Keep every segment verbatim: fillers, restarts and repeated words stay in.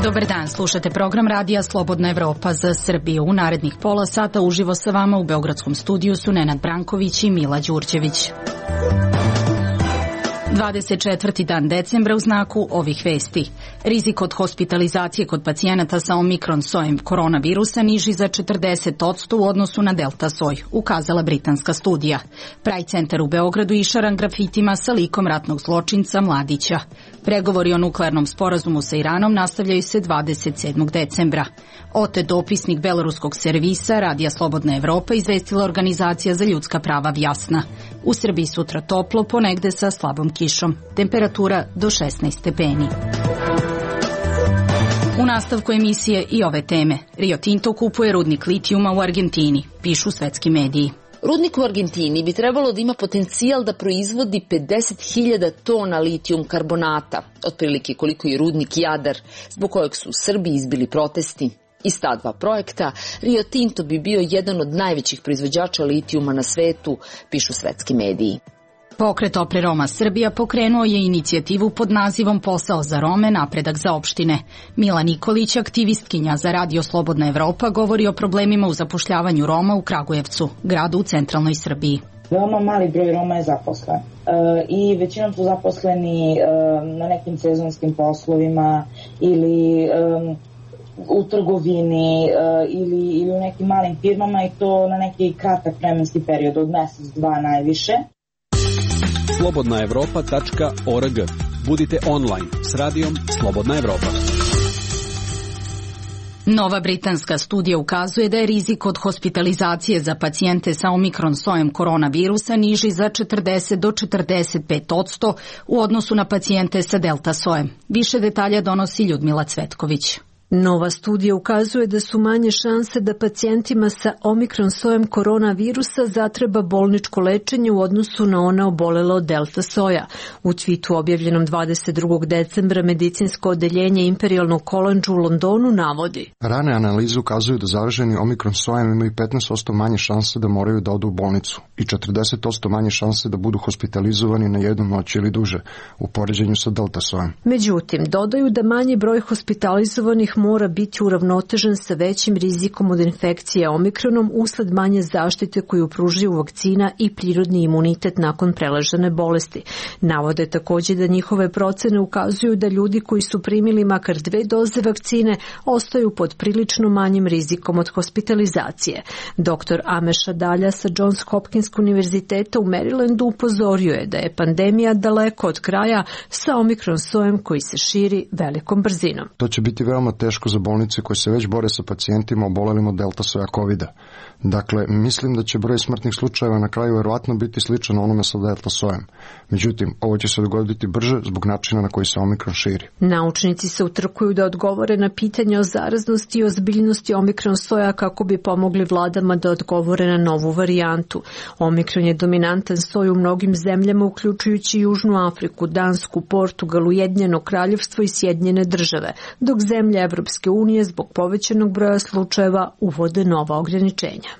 Dobar dan, slušate program radija Slobodna Evropa za Srbiju. U narednih pola sata uživo sa vama u beogradskom studiju su Nenad Branković i Mila Đurđević. dvadeset četvrti dan decembra u znaku ovih vesti. Rizik od hospitalizacije kod pacijenata sa omikron sojem koronavirusa niži za četrdeset posto u odnosu na delta soj, ukazala britanska studija. Pride centar u Beogradu išaran grafitima sa likom ratnog zločinca Mladića. Pregovori o nuklearnom sporazumu sa Iranom nastavljaju se dvadeset sedmog decembra. Otet dopisnik beloruskog servisa Radija Slobodna Evropa izvestila organizacija za ljudska prava Vjasna. U Srbiji sutra toplo, ponegde sa slabom kišom. Temperatura do šesnaest stepeni. U nastavku emisije i ove teme. Rio Tinto kupuje rudnik litijuma u Argentini, pišu svetski mediji. Rudnik u Argentini bi trebalo da ima potencijal da proizvodi pedeset hiljada tona litijum karbonata, otprilike koliko i rudnik Jadar, zbog kojeg su u Srbiji izbili protesti. Iz ta dva projekta Rio Tinto bi bio jedan od najvećih proizvođača litijuma na svetu, pišu svetski mediji. Pokret Opre Roma Srbija pokrenuo je inicijativu pod nazivom Posao za Rome, napredak za opštine. Mila Nikolić, aktivistkinja za Radio Slobodna Evropa, govori o problemima u zapošljavanju Roma u Kragujevcu, gradu u centralnoj Srbiji. Veoma mali broj Roma je zaposlen e, i većinom su zaposleni e, na nekim sezonskim poslovima ili e, u trgovini e, ili, ili u nekim malim firmama i to na neki kratak vremenski period od mesec, dva najviše. slobodna evropa tačka org. Budite online s radijom Slobodna Evropa. Nova britanska studija ukazuje da je rizik od hospitalizacije za pacijente sa omikron sojem koronavirusa niži za četrdeset do četrdeset pet posto u odnosu na pacijente sa delta sojem. Više detalja donosi Ljudmila Cvetković. Nova studija ukazuje da su manje šanse da pacijentima sa omikron sojem koronavirusa zatreba bolničko lečenje u odnosu na ona obolela od delta soja. U tvitu objavljenom dvadeset drugog decembra medicinsko odeljenje Imperial College u Londonu navodi: Rane analize ukazuju da zaraženi omikron sojem imaju petnaest posto manje šanse da moraju da odu u bolnicu i četrdeset posto manje šanse da budu hospitalizovani na jednu noć ili duže u poređenju sa delta sojem. Međutim, dodaju da manji broj hospitalizovanih mora biti uravnotežen sa većim rizikom od infekcije omikronom usled manje zaštite koju pružaju vakcina i prirodni imunitet nakon preležane bolesti. Navode također da njihove procene ukazuju da ljudi koji su primili makar dve doze vakcine ostaju pod prilično manjim rizikom od hospitalizacije. Doktor Ameša Dalja sa Johns Hopkins univerziteta u Marylandu upozorio je da je pandemija daleko od kraja sa omikron sojem koji se širi velikom brzinom. To će biti veoma teško za bolnice koje se već bore sa pacijentima obolelim od delta soja kovida. Dakle, mislim da će broj smrtnih slučajeva na kraju verovatno biti sličan onome sa delta sojem. Međutim, ovo će se dogoditi brže zbog načina na koji se omikron širi. Naučnici se utrkuju da odgovore na pitanje o zaraznosti i ozbiljnosti omikron soja kako bi pomogli vladama da odgovore na novu varijantu. Omikron je dominantan soj u mnogim zemljama, uključujući Južnu Afriku, Dansku, Portugal, Ujedinjeno Kraljevstvo i Sjedinjene Države, dok zemlje Evropske unije zbog povećanog broja slučajeva uvode nova ograničenja.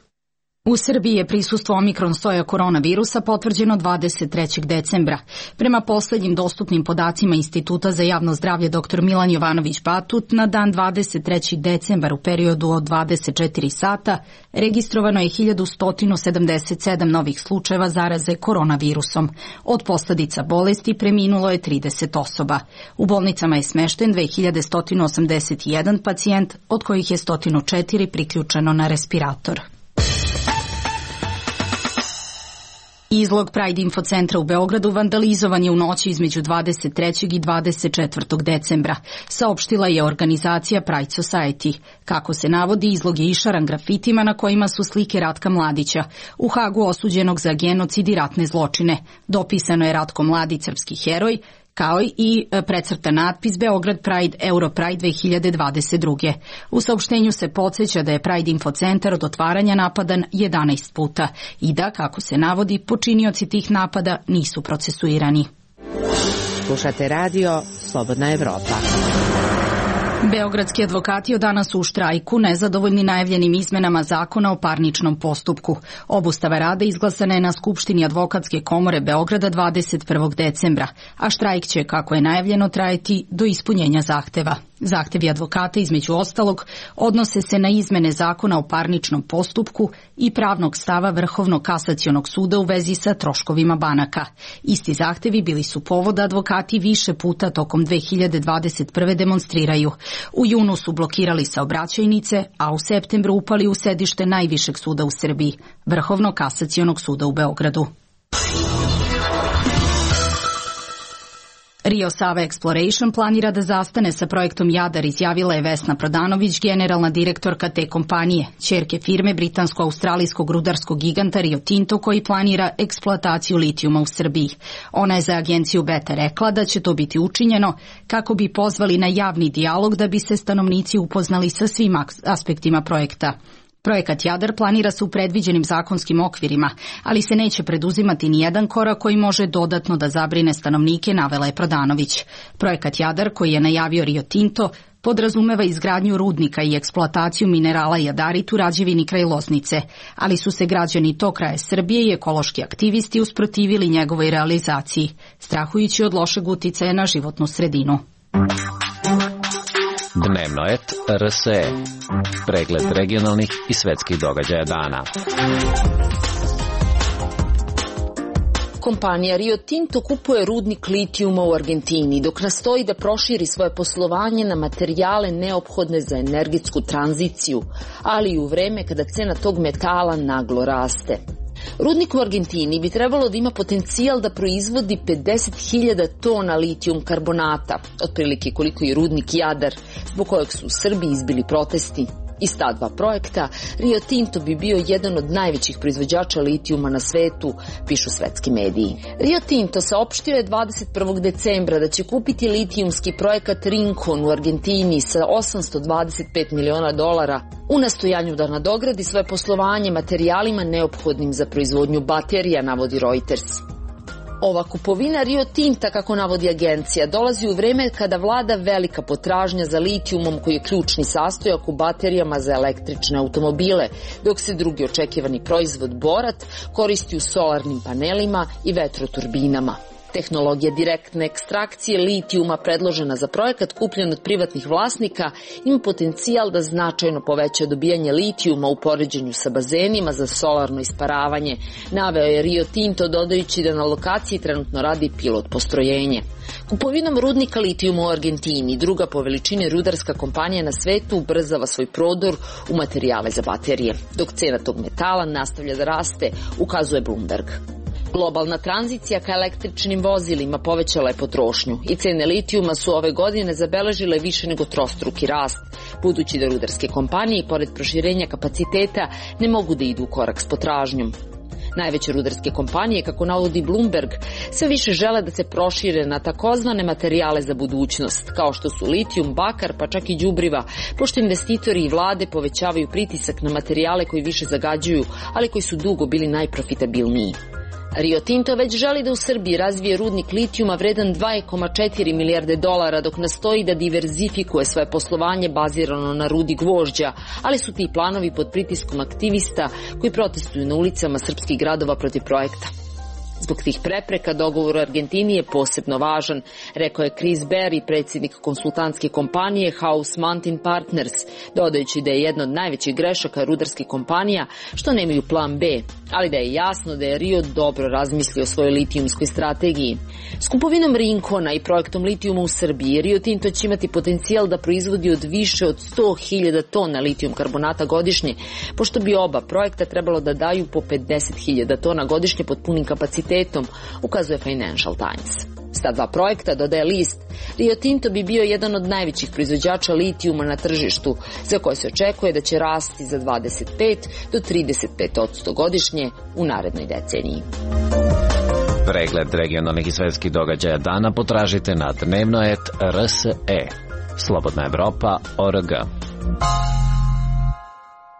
U Srbiji je prisustvo omikron soja koronavirusa potvrđeno dvadeset trećeg decembra. Prema poslednjim dostupnim podacima Instituta za javno zdravlje dr Milan Jovanović Batut, na dan dvadeset trećeg decembra u periodu od dvadeset četiri sata registrovano je hiljadu sto sedamdeset sedam novih slučajeva zaraze koronavirusom. Od posledica bolesti preminulo je trideset osoba. U bolnicama je smešten dve hiljade sto osamdeset jedan pacijent, od kojih je sto četiri priključeno na respirator. Izlog Pride infocentra u Beogradu vandalizovan je u noći između dvadeset trećeg i dvadeset četvrtog decembra, saopštila je organizacija Pride Society. Kako se navodi, izlog je išaran grafitima na kojima su slike Ratka Mladića, u Hagu osuđenog za genocid i ratne zločine. Dopisano je Ratko Mladić, srpski heroj, kao i precrtan natpis Beograd Pride, Euro Pride dve hiljade dvadeset druge. U saopštenju se podsjeća da je Pride infocentar od otvaranja napadan jedanaest puta i da, kako se navodi, počinioci tih napada nisu procesuirani. Slušate radio Slobodna Evropa. Beogradski advokati od danas su u štrajku, nezadovoljni najavljenim izmenama zakona o parničnom postupku. Obustava rada izglasana je na Skupštini Advokatske komore Beograda dvadeset prvog decembra, a štrajk će, kako je najavljeno, trajati do ispunjenja zahteva. Zahtevi advokata, između ostalog, odnose se na izmene zakona o parničnom postupku i pravnog stava Vrhovnog kasacionog suda u vezi sa troškovima banaka. Isti zahtevi bili su povod da advokati više puta tokom dve hiljade dvadeset prve demonstriraju. U junu su blokirali saobraćajnice, a u septembru upali u sedište najvišeg suda u Srbiji, Vrhovnog kasacionog suda u Beogradu. Rio Sava Exploration planira da zastane sa projektom Jadar, izjavila je Vesna Prodanović, generalna direktorka te kompanije, ćerke firme britansko-australijskog rudarskog giganta Rio Tinto, koji planira eksploataciju litijuma u Srbiji. Ona je za agenciju Beta rekla da će to biti učinjeno kako bi pozvali na javni dijalog da bi se stanovnici upoznali sa svim aspektima projekta. Projekat Jadar planira se u predviđenim zakonskim okvirima, ali se neće preduzimati ni jedan korak koji može dodatno da zabrine stanovnike, navela je Prodanović. Projekat Jadar, koji je najavio Rio Tinto, podrazumeva izgradnju rudnika i eksploataciju minerala jadarit u Rađevini kraj Loznice, ali su se građani tog kraja Srbije i ekološki aktivisti usprotivili njegovoj realizaciji, strahujući od lošeg uticaja na životnu sredinu. Dnevnoet R S E. Pregled regionalnih i svetskih događaja dana. Kompanija Rio Tinto kupuje rudnik litijuma u Argentini, dok nastoji da proširi svoje poslovanje na materijale neophodne za energetsku tranziciju, ali i u vreme kada cena tog metala naglo raste. Rudnik u Argentini bi trebalo da ima potencijal da proizvodi pedeset hiljada tona litijum karbonata, otprilike koliko i rudnik Jadar, zbog kojeg su u Srbiji izbili protesti. Iz ta dva projekta Rio Tinto bi bio jedan od najvećih proizvođača litijuma na svetu, pišu svetski mediji. Rio Tinto saopštio je dvadeset prvog decembra da će kupiti litijumski projekat Rincon u Argentini sa osamsto dvadeset pet miliona dolara u nastojanju da nadogradi svoje poslovanje materijalima neophodnim za proizvodnju baterija, navodi Reuters. Ova kupovina Rio Tinta, kako navodi agencija, dolazi u vreme kada vlada velika potražnja za litijumom, koji je ključni sastojak u baterijama za električne automobile, dok se drugi očekivani proizvod borat koristi u solarnim panelima i vetroturbinama. Tehnologija direktne ekstrakcije litijuma predložena za projekat kupljen od privatnih vlasnika ima potencijal da značajno poveća dobijanje litijuma u poređenju sa bazenima za solarno isparavanje, naveo je Rio Tinto, dodajući da na lokaciji trenutno radi pilot postrojenje. Kupovinom rudnika litijuma u Argentini, druga po veličini rudarska kompanija na svetu, ubrzava svoj prodor u materijale za baterije, dok cena tog metala nastavlja da raste, ukazuje Bloomberg. Globalna tranzicija ka električnim vozilima povećala je potrošnju i cene litijuma su ove godine zabeležile više nego trostruki rast, budući da rudarske kompanije, pored proširenja kapaciteta, ne mogu da idu u korak s potražnjom. Najveće rudarske kompanije, kako navodi Bloomberg, sve više žele da se prošire na takozvane materijale za budućnost, kao što su litijum, bakar, pa čak i đubriva, pošto investitori i vlade povećavaju pritisak na materijale koji više zagađuju, ali koji su dugo bili najprofitabilniji. Rio Tinto već želi da u Srbiji razvije rudnik litijuma vredan dva zarez četiri milijarde dolara, dok nastoji da diverzifikuje svoje poslovanje bazirano na rudi gvožđa, ali su ti planovi pod pritiskom aktivista koji protestuju na ulicama srpskih gradova protiv projekta. Zbog tih prepreka dogovor u Argentini je posebno važan, rekao je Chris Berry, predsjednik konsultantske kompanije House Mountain Partners, dodajući da je jedna od najvećih grešaka rudarskih kompanija što nemaju plan B, ali da je jasno da je Rio dobro razmislio o svojoj litijumskoj strategiji. S kupovinom Rincona i projektom litijuma u Srbiji, Rio Tinto će imati potencijal da proizvodi od više od sto hiljada tona litijum karbonata godišnje, pošto bi oba projekta trebalo da daju po pedeset hiljada tona godišnje pod punim kapacitetom, ukazuje Financial Times. S ta dva projekta, dodaje list, Rio Tinto bi bio jedan od najvećih proizvođača litijuma na tržištu, za koje se očekuje da će rasti za dvadeset pet do trideset pet posto godišnje u narednoj deceniji. Pregled regionalnih i svetskih događaja dana potražite na dnevnoet R S E. Slobodna Evropa, O R G.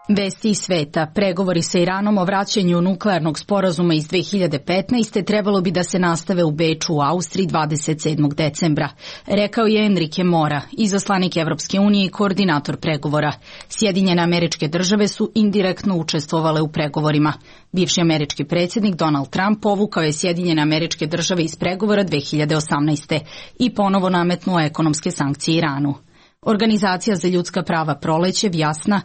Vesti iz sveta. Pregovori sa Iranom o vraćanju nuklearnog sporazuma iz dve hiljade petnaeste. trebalo bi da se nastave u Beču u Austriji dvadeset sedmog decembra, rekao je Enrique Mora, izaslanik Evropske unije i koordinator pregovora. Sjedinjene Američke Države su indirektno učestvovale u pregovorima. Bivši američki predsjednik Donald Trump povukao je Sjedinjene Američke Države iz pregovora dve hiljade osamnaeste. i ponovo nametnuo ekonomske sankcije Iranu. Organizacija za ljudska prava Proleće, Vjasna,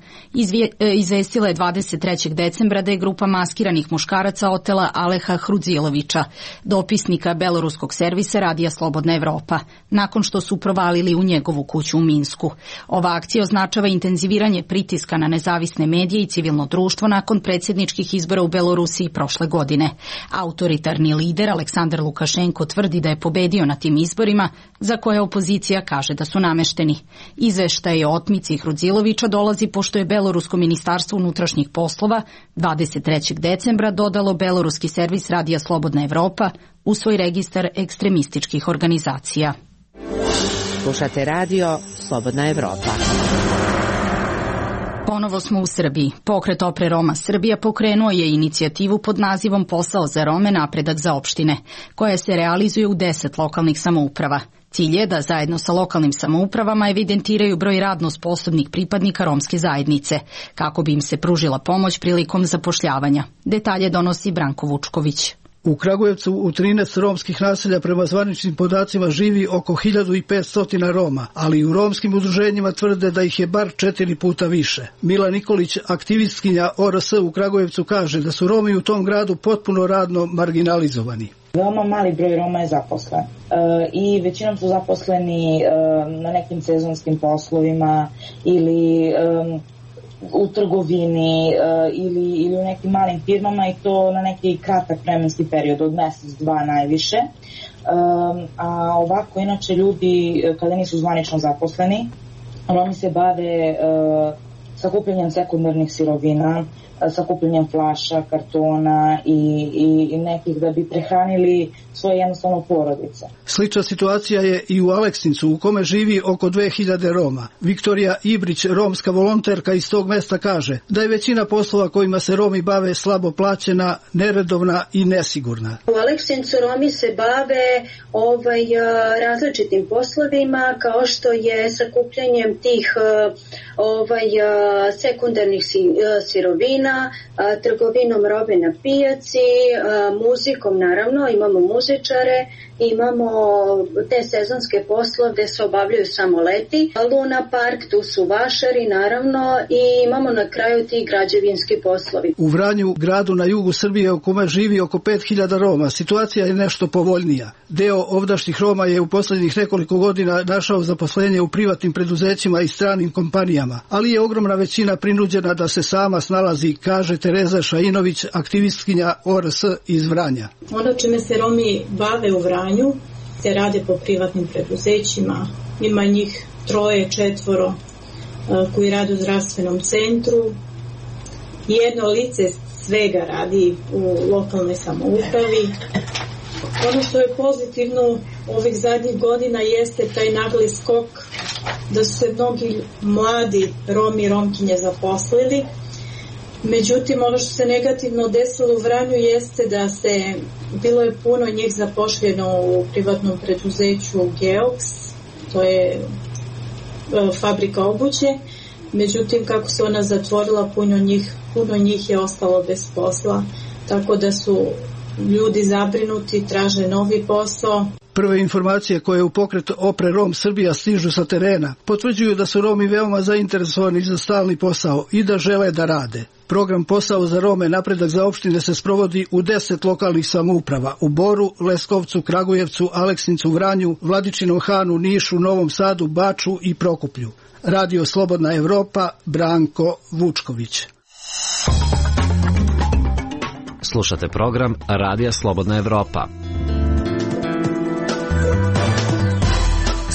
izvestila je dvadeset trećeg decembra da je grupa maskiranih muškaraca otela Aleha Hrudzilovića, dopisnika beloruskog servisa Radija Slobodna Evropa, nakon što su provalili u njegovu kuću u Minsku. Ova akcija označava intenziviranje pritiska na nezavisne medije i civilno društvo nakon predsjedničkih izbora u Belorusiji prošle godine. Autoritarni lider Aleksandar Lukašenko tvrdi da je pobedio na tim izborima, za koje opozicija kaže da su namešteni. Izveštaj o otmici Hrudzilovića dolazi pošto je Belorusko ministarstvo unutrašnjih poslova dvadeset trećeg decembra dodalo beloruski servis Radija Slobodna Evropa u svoj registar ekstremističkih organizacija. Slušate radio Slobodna Evropa. Ponovo smo u Srbiji. Pokret Opre Roma Srbija pokrenuo je inicijativu pod nazivom Posao za Rome, napredak za opštine, koja se realizuje u deset lokalnih samouprava. Cilj je da zajedno sa lokalnim samoupravama evidentiraju broj radno sposobnih pripadnika romske zajednice, kako bi im se pružila pomoć prilikom zapošljavanja. Detalje donosi Branko Vučković. U Kragujevcu u trinaest romskih naselja prema zvaničnim podacima živi oko hiljadu petsto Roma, ali i u romskim udruženjima tvrde da ih je bar četiri puta više. Mila Nikolić, aktivistkinja O R S u Kragujevcu, kaže da su Romi u tom gradu potpuno radno marginalizovani. Veoma mali broj Roma je zaposlen e, i većinom su zaposleni e, na nekim sezonskim poslovima ili e, u trgovini e, ili, ili u nekim malim firmama, i to na neki kratak vremenski period od mjesec, dva najviše. E, a ovako, inače, ljudi kada nisu zvanično zaposleni, Romi se bave e, sakupljanjem sekundarnih sirovina, sakupljanjem flaša, kartona i, i, i nekih da bi prehranili svoje jednostavno porodice. Slična situacija je i u Aleksincu, u kome živi oko dve hiljade Roma. Viktorija Ibrić, romska volonterka iz tog mesta, kaže da je većina poslova kojima se Romi bave slabo plaćena, neredovna i nesigurna. U Aleksincu Romi se bave ovaj, različitim poslovima, kao što je sakupljanjem tih ovaj, sekundarnih sirovina, trgovinom robe na pijaci, muzikom, naravno, imamo muzičare, imamo te sezonske poslove gde se obavljaju samo leti, Luna Park, tu su vašari, naravno, i imamo na kraju ti građevinski poslovi. U Vranju, gradu na jugu Srbije u kome živi oko pet hiljada Roma, situacija je nešto povoljnija. Deo ovdašnjih Roma je u posljednjih nekoliko godina našao zaposlenje u privatnim preduzećima i stranim kompanijama, ali je ogromna većina prinuđena da se sama snalazi, kaže Tereza Šainović, aktivistkinja O R S iz Vranja. Ono čime se Romi bave u Vranju se rade po privatnim preduzećima, ima njih troje, četvoro koji rade u zdravstvenom centru. Jedno lice svega radi u lokalnoj samoupravi. Ono što je pozitivno ovih zadnjih godina jeste taj nagli skok da su se mnogi mladi Romi i Romkinje zaposlili. Međutim, ono što se negativno desilo u Vranju jeste da se, bilo je puno njih zapošljeno u privatnom preduzeću Geox, to je fabrika obuće, međutim kako se ona zatvorila, puno njih, puno njih je ostalo bez posla, tako da su ljudi zabrinuti, traže novi posao. Prve informacije koje u pokret Opre Rom Srbija stižu sa terena potvrđuju da su Romi veoma zainteresovani za stalni posao i da žele da rade. Program Posao za Rome, napredak za opštine se sprovodi u deset lokalnih samouprava: u Boru, Leskovcu, Kragujevcu, Aleksincu, Vranju, Vladičinom Hanu, Nišu, Novom Sadu, Baču i Prokuplju. Radio Slobodna Evropa, Branko Vučković. Slušate program Radija Slobodna Evropa.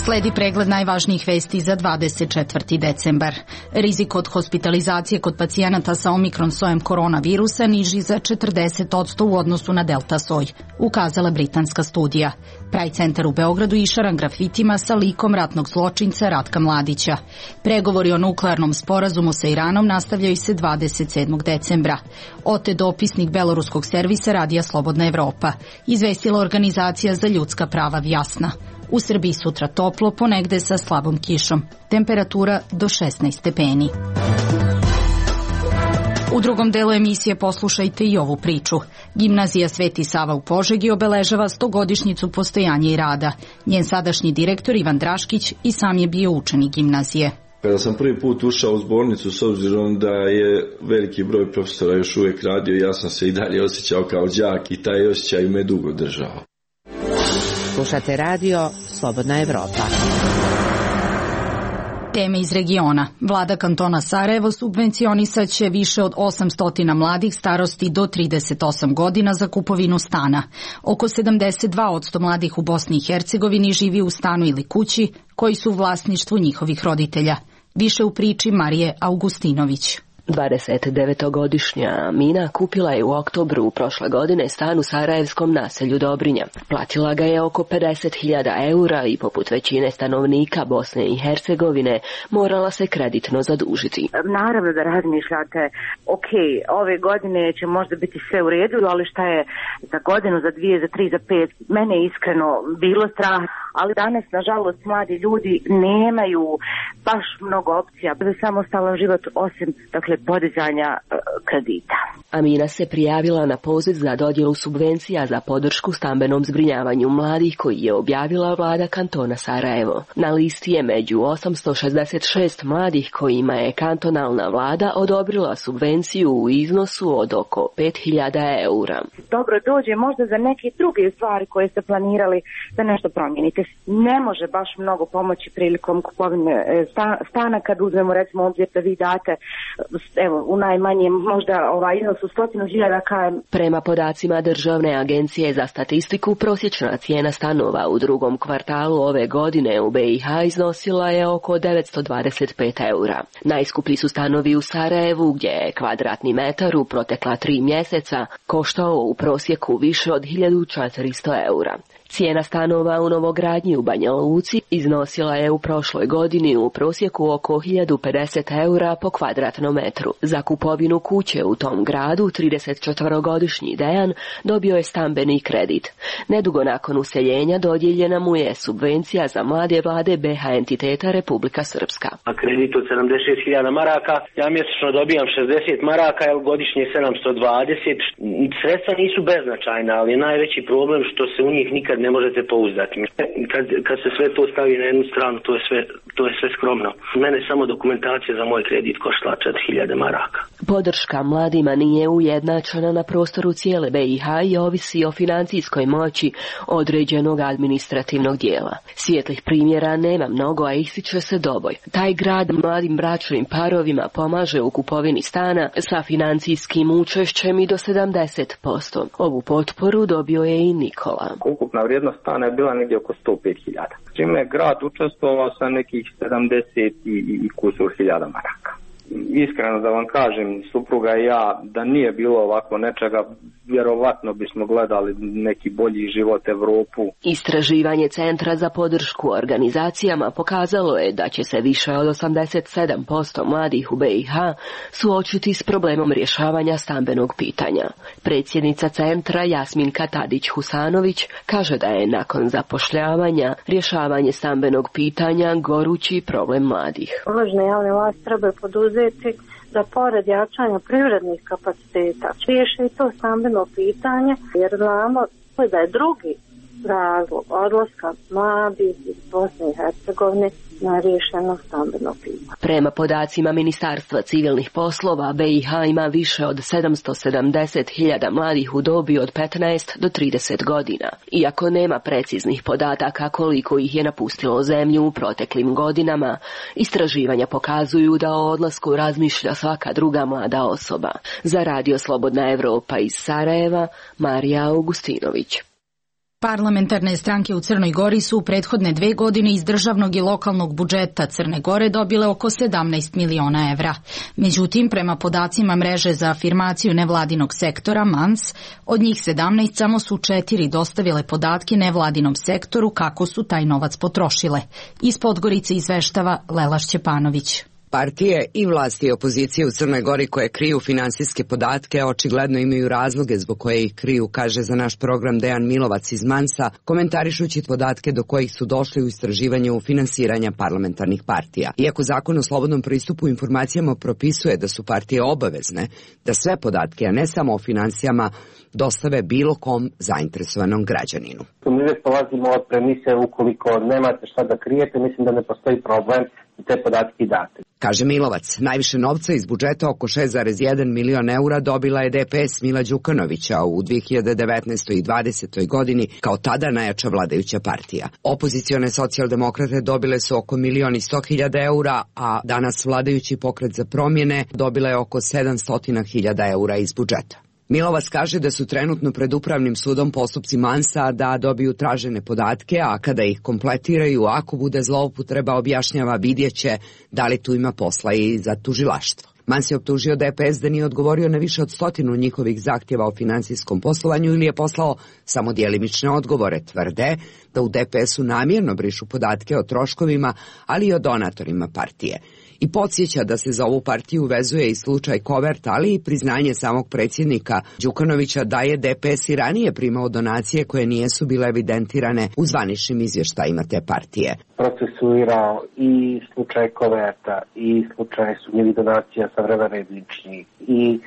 Sledi pregled najvažnijih vesti za dvadeset četvrti decembar. Rizik od hospitalizacije kod pacijenata sa omikron sojem koronavirusa niži za četrdeset posto u odnosu na delta soj, ukazala britanska studija. Pride centar u Beogradu išaran grafitima sa likom ratnog zločinca Ratka Mladića. Pregovori o nuklearnom sporazumu sa Iranom nastavljaju se dvadeset sedmog decembra. Ote dopisnik beloruskog servisa Radija Slobodna Evropa, izvestila organizacija za ljudska prava Vjasna. U Srbiji sutra toplo, ponegde sa slabom kišom. Temperatura do šesnaest stepeni. U drugom delu emisije poslušajte i ovu priču. Gimnazija Sveti Sava u Požegi obeležava stogodišnjicu postojanja i rada. Njen sadašnji direktor Ivan Draškić i sam je bio učenik gimnazije. Kada sam prvi put ušao u zbornicu, s obzirom da je veliki broj profesora još uvijek radio, ja sam se i dalje osjećao kao đak i taj osjećaj me dugo držao. Slušate radio Slobodna Evropa. Teme iz regiona. Vlada kantona Sarajevo subvencionisat će više od osamsto mladih starosti do trideset osam godina za kupovinu stana. Oko sedamdeset dva posto mladih u Bosni i Hercegovini živi u stanu ili kući koji su u vlasništvu njihovih roditelja. Više u priči Marije Augustinović. dvadesetdevetogodišnja Amina kupila je u oktobru prošle godine stan u sarajevskom naselju Dobrinja. Platila ga je oko pedeset hiljada eura i poput većine stanovnika Bosne i Hercegovine morala se kreditno zadužiti. Naravno da razmišljate, ok, ove godine će možda biti sve u redu, ali šta je za godinu, za dvije, za tri, za pet, mene je iskreno bilo strah, ali danas, nažalost, mladi ljudi nemaju baš mnogo opcija za samostalan život osim, dakle, podizanja uh, kredita. Amina se prijavila na poziv za dodjelu subvencija za podršku stambenom zbrinjavanju mladih koji je objavila vlada kantona Sarajevo. Na listi je među osamsto šezdeset šest mladih kojima je kantonalna vlada odobrila subvenciju u iznosu od oko pet hiljada eura. Dobro dođe možda za neke druge stvari koje ste planirali da nešto promijenite. Ne može baš mnogo pomoći prilikom kupovine stana kad uzmemo recimo obzir da vi date evo u najmanjem možda ovaj iznos u stotinu hiljada kajem. Prema podacima Državne agencije za statistiku, prosječna cijena stanova u drugom kvartalu ove godine u B i H iznosila je oko devetsto dvadeset pet eura. Najskuplji su stanovi u Sarajevu gdje je kvadratni metar u protekla tri mjeseca koštao u prosjeku više od hiljadu četiristo eura. Cijena stanova u novogradnji u Banja Luci iznosila je u prošloj godini u prosjeku oko hiljadu pedeset eura po kvadratnom metru. Za kupovinu kuće u tom gradu tridesetčetvorogodišnji Dejan dobio je stambeni kredit. Nedugo nakon useljenja dodijeljena mu je subvencija za mlade vlade B H entiteta Republika Srpska. A kredit od sedamdeset hiljada maraka, ja mjesečno dobijam šezdeset maraka, jer godišnje sedamsto dvadeset. Sredstva nisu beznačajna, ali je najveći problem što se u njih nikad ne možete pouzdati. Kad, kad se sve to stavi na jednu stranu, to je sve, to je sve skromno. Mene samo dokumentacija za moj kredit koštala četiri hiljade maraka. Podrška mladima nije ujednačena na prostoru cijele B i H i ovisi o financijskoj moći određenog administrativnog dijela. Svijetlih primjera nema mnogo, a ističe se Doboj. Taj grad mladim bračnim parovima pomaže u kupovini stana sa financijskim učešćem i do sedamdeset posto. Ovu potporu dobio je i Nikola. Ukupna vrijednost stana je bila negdje oko sto pet hiljada. Čime je grad učestvovao sa nekih sedamdeset i, i kusur hiljada maraka. Iskreno da vam kažem, supruga i ja, da nije bilo ovako nečega, vjerovatno bismo gledali neki bolji život Evropu. Istraživanje Centra za podršku organizacijama pokazalo je da će se više od osamdeset sedam posto mladih u B i H suočiti s problemom rješavanja stambenog pitanja. Predsjednica centra Jasminka Tadić-Husanović kaže da je nakon zapošljavanja rješavanje stambenog pitanja gorući problem mladih. Važne javne vlasti treba poduzeti da pored jačanja privrednih kapaciteta riješi i to stambeno pitanje, jer znamo da je drugi razlog odlaska mladih iz Bosne i Hercegovine na rješeno stambeno pitanje. Prema podacima Ministarstva civilnih poslova, B i H ima više od sedamsto sedamdeset hiljada mladih u dobi od petnaest do trideset godina. Iako nema preciznih podataka koliko ih je napustilo zemlju u proteklim godinama, istraživanja pokazuju da o odlasku razmišlja svaka druga mlada osoba. Za Radio Slobodna Evropa iz Sarajeva, Marija Augustinović. Parlamentarne stranke u Crnoj Gori su u prethodne dve godine iz državnog i lokalnog budžeta Crne Gore dobile oko sedamnaest miliona evra. Međutim, prema podacima mreže za afirmaciju nevladinog sektora M A N S, od njih sedamnaest samo su četiri dostavile podatke nevladinom sektoru kako su taj novac potrošile. Iz Podgorice izveštava Lela Šćepanović. Partije i vlasti i opozicije u Crnoj Gori koje kriju finansijske podatke očigledno imaju razloge zbog koje ih kriju, kaže za naš program Dejan Milovac iz Mansa, komentarišući podatke do kojih su došli u istraživanju finansiranja parlamentarnih partija. Iako zakon o slobodnom pristupu informacijama propisuje da su partije obavezne da sve podatke, a ne samo o finansijama, dostave bilo kom zainteresovanom građaninu. Mi uvijek polazimo od premise ukoliko nemate šta da krijete, mislim da ne postoji problem i te podatke date. Kaže Milovac, najviše novca iz budžeta, oko šest zarez jedan milion eura, dobila je D P S Mila Đukanovića u dve hiljade devetnaestoj i dvadesetoj godini, kao tada najjača vladajuća partija. Opozicione socijaldemokrate dobile su oko milion i sto hiljada eura, a danas vladajući Pokret za promjene dobila je oko sedamsto hiljada eura iz budžeta. Milovac kaže da su trenutno pred upravnim sudom postupci Mansa da dobiju tražene podatke, a kada ih kompletiraju, ako bude zloupotreba, objašnjava, vidjeće da li tu ima posla i za tužilaštvo. Mans je optužio D P S da nije odgovorio na više od stotinu njihovih zahtjeva o finansijskom poslovanju ili je poslao samo djelimične odgovore. Tvrde da u D P S-u namjerno brišu podatke o troškovima, ali i o donatorima partije. I podsjeća da se za ovu partiju vezuje i slučaj Kovert, ali i priznanje samog predsjednika Đukanovića da je D P S i ranije primao donacije koje nijesu bile evidentirane u zvaničnim izvještajima te partije. Procesuirao i slučaj Koverta i slučaj sumnjivih donacija sa vremena Redničnih i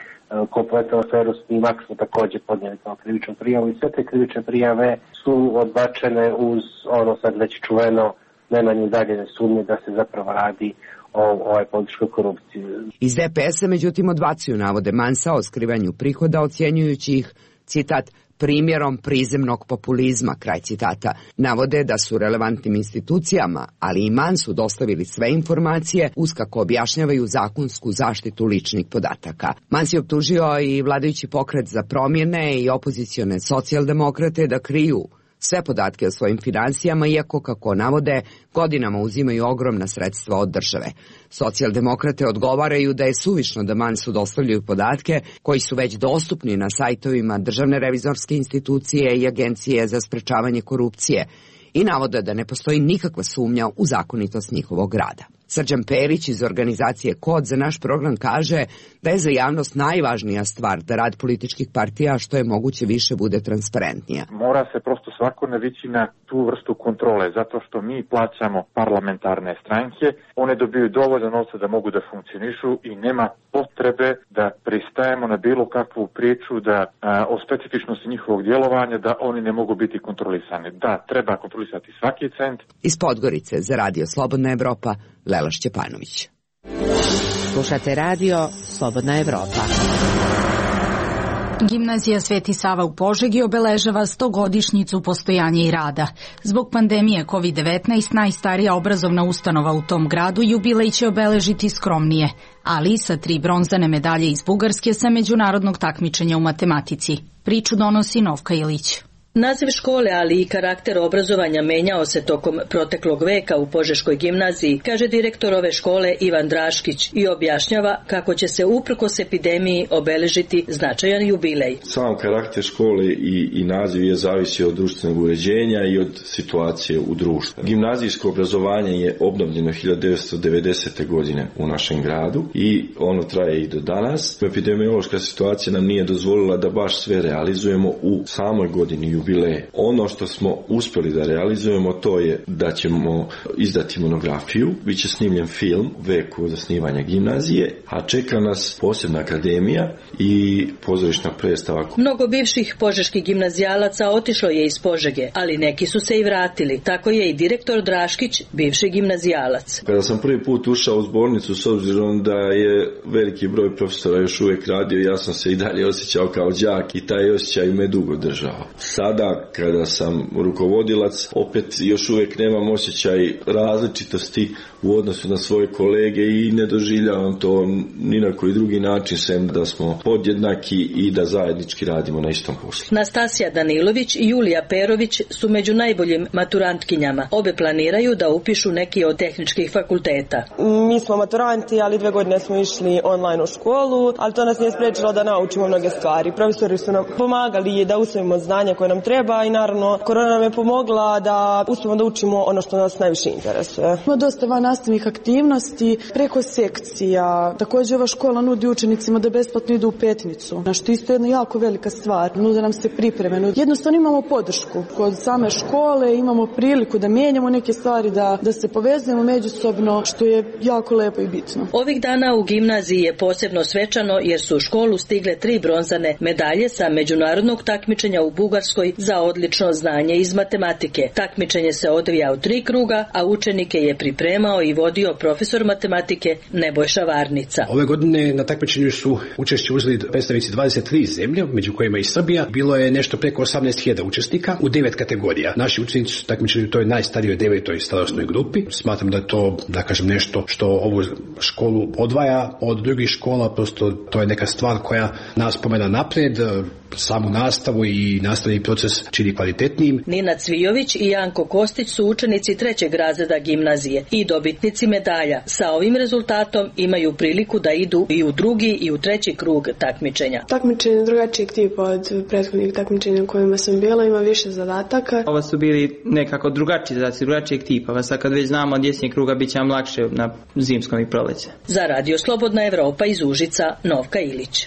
kompletnu aferu Snimak smo također podnijeli kao krivičnu prijavu i sve te krivične prijave su odbačene uz ono sad već čuveno najmanje udaljene sumnje da se zapravo radi o ovoj političkoj korupciji. Iz D P S-a međutim odbacuju navode Mansa o skrivanju prihoda, ocjenjujući ih, citat, primjerom prizemnog populizma, kraj citata. Navode da su relevantnim institucijama, ali i Mansu dostavili sve informacije uz kako objašnjavaju zakonsku zaštitu ličnih podataka. Mans je optužio i vladajući Pokret za promjene i opozicione socijaldemokrate da kriju sve podatke o svojim finansijama, iako, kako navode, godinama uzimaju ogromna sredstva od države. Socijaldemokrate odgovaraju da je suvišno da Mansu dostavljaju podatke koji su već dostupni na sajtovima Državne revizorske institucije i Agencije za sprečavanje korupcije i navode da ne postoji nikakva sumnja u zakonitost njihovog rada. Srđan Perić iz organizacije Kod za naš program kaže da je za javnost najvažnija stvar da rad političkih partija što je moguće više bude transparentnija. Mora se prosto svako navići na tu vrstu kontrole, zato što mi plaćamo parlamentarne stranke, one dobiju dovoljno novca da mogu da funkcionišu i nema potrebe da pristajemo na bilo kakvu priču da a, o specifičnosti njihovog djelovanja da oni ne mogu biti kontrolisani. Da, treba kontrolisati svaki cent. Iz Podgorice za Radio Slobodna Evropa, Lela Šćepanović. Slušate radio Slobodna Evropa. Gimnazija Sveti Sava u Požegi obeležava stogodišnjicu postojanja i rada. Zbog pandemije kovid devetnaest najstarija obrazovna ustanova u tom gradu jubilej će obeležiti skromnije, ali sa tri bronzane medalje iz Bugarske sa međunarodnog takmičenja u matematici. Priču donosi Novka Ilić. Naziv škole, ali i karakter obrazovanja menjao se tokom proteklog veka u Požeškoj gimnaziji, kaže direktor ove škole Ivan Draškić i objašnjava kako će se uprkos epidemiji obeležiti značajan jubilej. Sam karakter škole i, i naziv je zavisi od društvenog uređenja i od situacije u društvu. Gimnazijsko obrazovanje je obnovljeno hiljadu devetsto devedesete. godine u našem gradu i ono traje i do danas. Epidemiološka situacija nam nije dozvolila da baš sve realizujemo u samoj godini jubileje. Ono što smo uspjeli da realizujemo to je da ćemo izdati monografiju, bit će snimljen film veku zasnivanja gimnazije, a čeka nas posebna akademija i pozorišna predstava. Mnogo bivših požeških gimnazijalaca otišlo je iz Požege, ali neki su se i vratili. Tako je i direktor Draškić, bivši gimnazijalac. Kada sam prvi put ušao u zbornicu, s obzirom da je veliki broj profesora još uvijek radio, ja sam se i dalje osjećao kao đak i taj osjećaj me dugo držao. Sad sada kada sam rukovodilac opet još uvijek nemam osjećaj različitosti u odnosu na svoje kolege i ne doživljavam to ni na koji drugi način sem da smo podjednaki i da zajednički radimo na istom poslu. Nastasija Danilović i Julija Perović su među najboljim maturantkinjama. Obe planiraju da upišu neki od tehničkih fakulteta. Mi smo maturanti, ali dve godine smo išli online u školu, ali to nas nije spriječilo da naučimo mnoge stvari. Profesori su nam pomagali da usvojimo znanja koje nam treba i naravno korona nam je pomogla da uspijemo da učimo ono što nas najviše interesuje. Ima dosta van nastavnih aktivnosti preko sekcija. Također ova škola nudi učenicima da besplatno idu u Petnicu, na što isto je jedna jako velika stvar. Nude nam se pripreme. Jednostavno imamo podršku kod same škole, imamo priliku da mijenjamo neke stvari, da, da se povezujemo međusobno, što je jako lepo i bitno. Ovih dana u gimnaziji je posebno svečano jer su u školu stigle tri bronzane medalje sa međunarodnog takmičenja u Bugarskoj za odlično znanje iz matematike. Takmičenje se odvija u tri kruga, a učenike je pripremao i vodio profesor matematike Nebojša Varnica. Ove godine na takmičenju su učešće uzeli predstavnici dvadeset tri zemlje, među kojima i Srbija. Bilo je nešto preko osamnaest hiljada učesnika u devet kategorija. Naši učenici su takmičili u toj najstarijoj devetoj starosnoj grupi. Smatram da je to, da kažem, nešto što ovu školu odvaja od drugih škola, prosto to je neka stvar koja nas pomena napred, samu nastavu i nastavni proces čini kvalitetnijim. Nina Cvijović i Janko Kostić su učenici trećeg razreda gimnazije i dobitnici medalja. Sa ovim rezultatom imaju priliku da idu i u drugi i u treći krug takmičenja. Takmičenje drugačijeg tipa od prethodnih takmičenja u kojima sam bila, ima više zadataka. Ovo su bili nekako drugačiji zadaci, drugačijeg tipa. Sad kad već znamo od jesenjeg kruga bit će nam lakše na zimskom i proleće. Za Radio Slobodna Evropa iz Užica, Novka Ilić.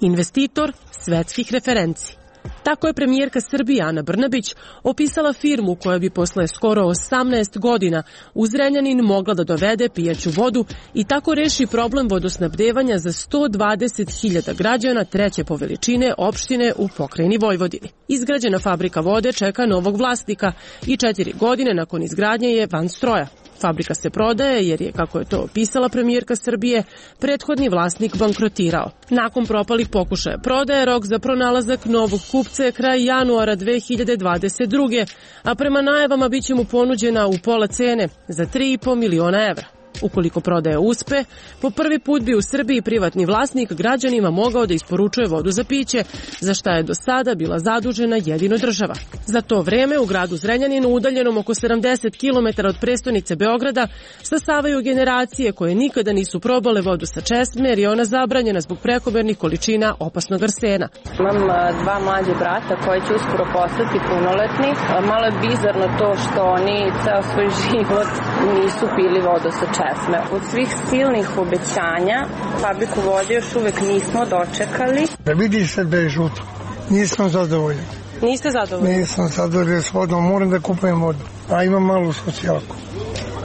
Investitor svetskih referenci. Tako je premijerka Srbije Ana Brnabić opisala firmu koja bi posle skoro osamnaest godina u Zrenjanin mogla da dovede pijaću vodu i tako reši problem vodosnabdevanja za sto dvadeset hiljada građana treće po veličine opštine u pokrajini Vojvodini. Izgrađena fabrika vode čeka novog vlasnika i četiri godine nakon izgradnje je van stroja. Fabrika se prodaje jer je, kako je to opisala premijerka Srbije, prethodni vlasnik bankrotirao. Nakon propalih pokušaja prodaje, rok za pronalazak novog kupca je kraj januara dve hiljade dvadeset druge. a prema najavama bit će mu ponuđena u pola cene za tri i po miliona evra. Ukoliko prodaja uspe, po prvi put bi u Srbiji privatni vlasnik građanima mogao da isporučuje vodu za piće, za šta je do sada bila zadužena jedino država. Za to vreme u gradu Zrenjaninu, udaljenom oko sedamdeset kilometara od prestonice Beograda, stasavaju generacije koje nikada nisu probale vodu sa česme jer je ona zabranjena zbog prekomernih količina opasnog arsena. Imam dva mlađe brata koji će uskoro postati punoletni. Malo je bizarno to što oni ceo svoj život nisu pili vodu sa česme. Od svih silnih obećanja fabriku vode još uvek nismo dočekali. Da vidi se da je žuto. Nisam zadovoljan. Niste zadovoljni? Nisam zadovoljan s vodom, moram da kupujem vodu. A imam malu socijalku.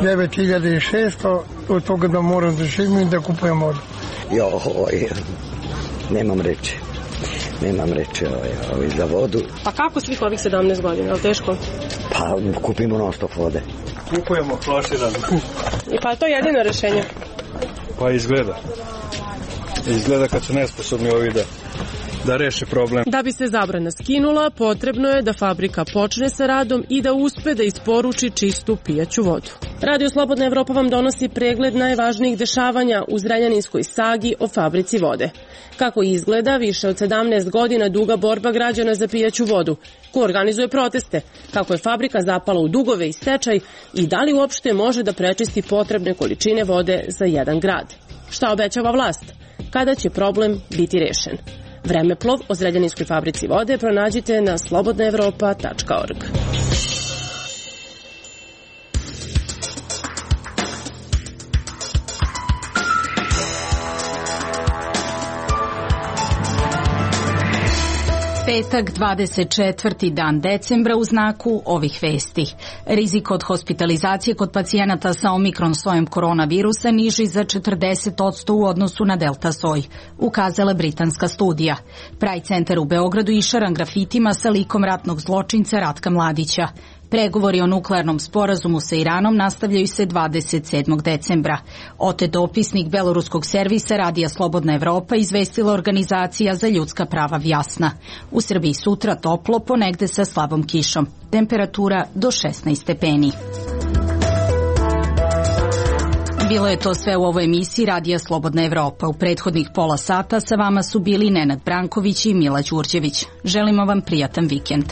devet hiljada šesto, od toga da moram da živim i da kupujem vodu. Joj, nemam reči. Nemam reči ovaj, ovaj, za vodu. Pa kako svih ovih sedamnaest godina, je li teško? Pa kupimo non stop vode. Kupujemo flaširano. I pa je to jedino rešenje? Pa izgleda. Izgleda kad su nesposobni ovi da, da reše problem. Da bi se zabrana skinula, potrebno je da fabrika počne sa radom i da uspe da isporuči čistu pijaću vodu. Radio Slobodna Evropa vam donosi pregled najvažnijih dešavanja u Zrenjaninskoj sagi o fabrici vode. Kako izgleda više od sedamnaest godina duga borba građana za pijaću vodu, ko organizuje proteste, kako je fabrika zapala u dugove i stečaj i da li uopšte može da prečisti potrebne količine vode za jedan grad. Šta obećava vlast? Kada će problem biti rešen? Vremeplov o Zrenjaninskoj fabrici vode pronađite na slobodna evropa tačka org. Petak, dvadeset četvrti dan decembra u znaku ovih vesti. Rizik od hospitalizacije kod pacijenata sa omikron sojem koronavirusa niži za četrdeset posto u odnosu na delta soj, ukazala britanska studija. Pride centar u Beogradu išaran grafitima sa likom ratnog zločinca Ratka Mladića. Pregovori o nuklearnom sporazumu sa Iranom nastavljaju se dvadeset sedmog decembra. Ote dopisnik beloruskog servisa Radija Slobodna Evropa izvestila organizacija za ljudska prava Vjasna. U Srbiji sutra toplo, ponegde sa slabom kišom. Temperatura do šesnaest stepeni. Bilo je to sve u ovoj emisiji Radija Slobodna Evropa. U prethodnih pola sata sa vama su bili Nenad Branković i Mila Đurđević. Želimo vam prijatan vikend.